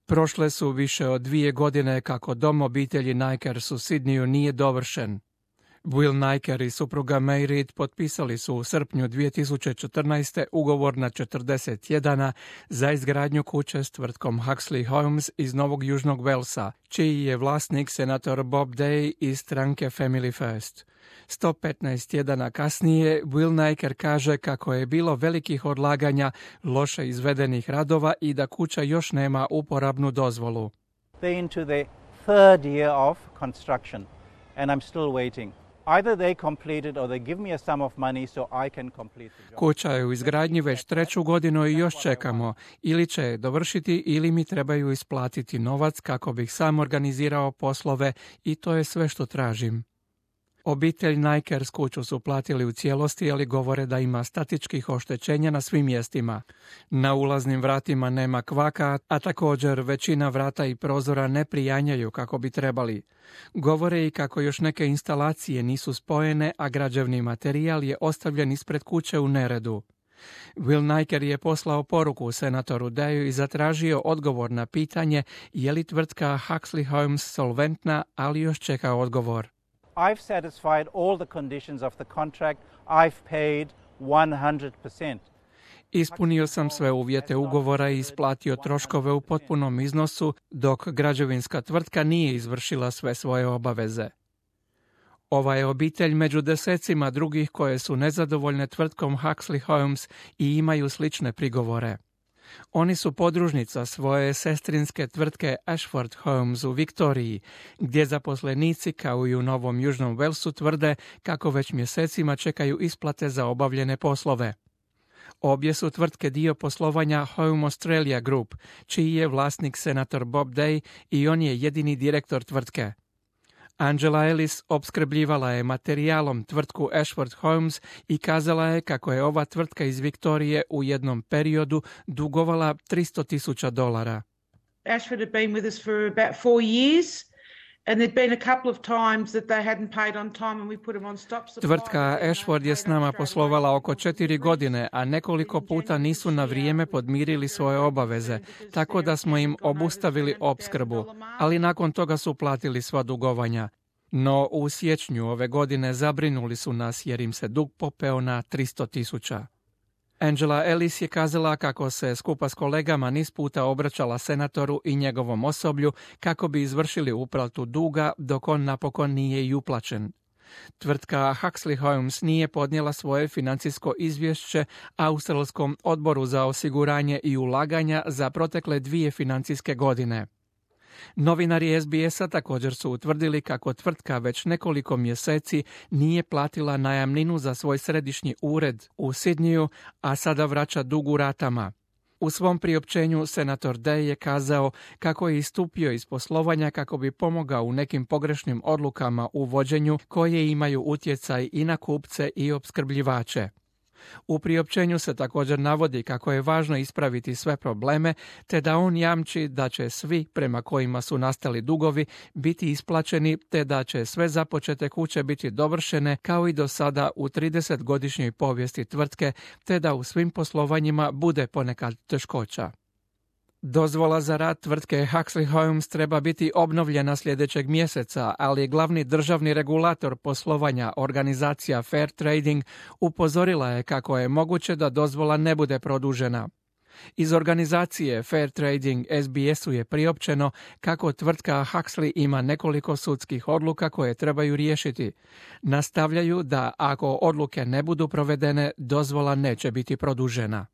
Prošle su više od 2 godine kako dom obitelji Nikers u Sidniju nije dovršen. Will Niker i supruga May Reed potpisali su u srpnju 2014. ugovor na 40 dana za izgradnju kuće s tvrtkom Huxley Homes iz Novog Južnog Walesa, čiji je vlasnik senator Bob Day iz stranke Family First. 115 dana kasnije Will Niker kaže kako je bilo velikih odlaganja, loše izvedenih radova i da kuća još nema uporabnu dozvolu. They're into the third year of construction and I'm still waiting. Either they complete it or they give me a sum of money so I can complete the job. Kuća je u izgradnji već 3. godinu i još čekamo. Ili će je dovršiti ili mi trebaju isplatiti novac kako bih sam organizirao poslove i to je sve što tražim. Obitelj Nikers kuću su platili u cijelosti, ali govore da ima statičkih oštećenja na svim mjestima. Na ulaznim vratima nema kvaka, a također većina vrata i prozora ne prijanjaju kako bi trebali. Govore i kako još neke instalacije nisu spojene, a građevni materijal je ostavljen ispred kuće u neredu. Will Niker je poslao poruku senatoru Dayu i zatražio odgovor na pitanje je li tvrtka Huxley Homes solventna, ali još čeka odgovor. I've satisfied all the conditions of the contract. I've paid 100%. Ispunio sam sve uvjete ugovora i isplatio troškove u potpunom iznosu, dok građevinska tvrtka nije izvršila sve svoje obaveze. Ova je obitelj među desecima drugih koje su nezadovoljne tvrtkom Huxley Homes i imaju slične prigovore. Oni su podružnica svoje sestrinske tvrtke Ashford Homes u Viktoriji, gdje zaposlenici kao i u Novom Južnom Walesu tvrde kako već mjesecima čekaju isplate za obavljene poslove. Obje su tvrtke dio poslovanja Home Australia Group, čiji je vlasnik senator Bob Day i on je jedini direktor tvrtke. Angela Ellis opskrbljivala je materijalom tvrtku Ashford Homes i kazala je kako je ova tvrtka iz Viktorije u jednom periodu dugovala $300,000. Ashford had been with us for about 4 years. And there'd been a couple of times that they hadn't paid on time and we put them on stop supply. Tvrtka Ashford je s nama poslovala oko 4 godine, a nekoliko puta nisu na vrijeme podmirili svoje obaveze, tako da smo im obustavili opskrbu, ali nakon toga su platili sva dugovanja. No u siječnju ove godine zabrinuli su nas jer im se dug popeo na 300,000. Angela Ellis je kazala kako se skupa s kolegama niz puta obraćala senatoru i njegovom osoblju kako bi izvršili uplatu duga dok on napokon nije i uplaćen. Tvrtka Huxley Homes nije podnijela svoje financijsko izvješće Australskom odboru za osiguranje i ulaganja za protekle 2 financijske godine. Novinari SBS-a također su utvrdili kako tvrtka već nekoliko mjeseci nije platila najamninu za svoj središnji ured u Sidniju, a sada vraća dug u ratama. U svom priopćenju senator Day je kazao kako je istupio iz poslovanja kako bi pomogao u nekim pogrešnim odlukama u vođenju koje imaju utjecaj i na kupce i opskrbljivače. U priopćenju se također navodi kako je važno ispraviti sve probleme, te da on jamči da će svi prema kojima su nastali dugovi biti isplaćeni, te da će sve započete kuće biti dovršene kao i do sada u 30-godišnjoj povijesti tvrtke, te da u svim poslovanjima bude ponekad teškoća. Dozvola za rad tvrtke Huxley Homes treba biti obnovljena sljedećeg mjeseca, ali glavni državni regulator poslovanja, organizacija Fair Trading, upozorila je kako je moguće da dozvola ne bude produžena. Iz organizacije Fair Trading SBS-u je priopćeno kako tvrtka Huxley ima nekoliko sudskih odluka koje trebaju riješiti. Nastavljaju da ako odluke ne budu provedene, dozvola neće biti produžena.